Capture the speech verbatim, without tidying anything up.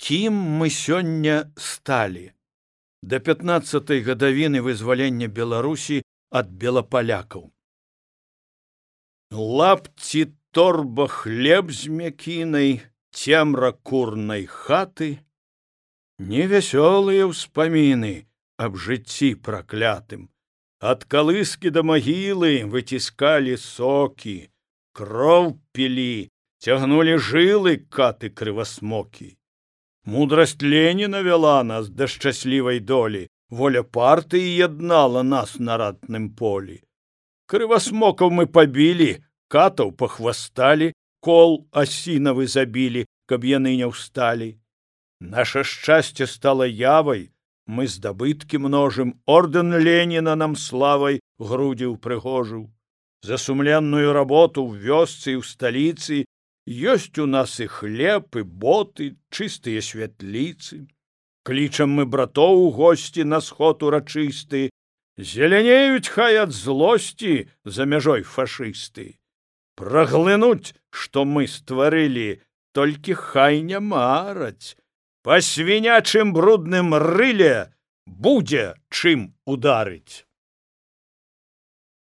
Кім мы сёння сталі? Да пятнаццатай гадавіны вызвалення Беларусі ад белапалякаў. Лапці торба хлеб з мякінай, цемра курнай хаты, невясёлыя ўспаміны аб жыцці праклятым. Ад калыскі да магілы выціскалі сокі, кроў пілі, цягнулі жылы каты крывасмокі. Мудрасць Леніна вяла нас да шчаслівай долі, воля партыі яднала нас на ратным полі. Крывасмокаў мы пабілі, катаў пахвасталі, кол асінавы забілі, каб яны не ўсталі. Наша шчасце стала явай, мы здабыткі множым, ордэн Леніна нам славай грудзі ўпрыгожыў. За сумленную работу ў вёсцы і ў сталіцы ёсць у нас і хлеб, і боты, чыстыя святліцы. Клічам мы братоў у госці на сход урачысты, зелянеюць хай ад злосці за мяжой фашысты. Праглынуць, што мы стварылі, толькі хай не мараць. Па свінячым брудным рыле будзе чым ударыць.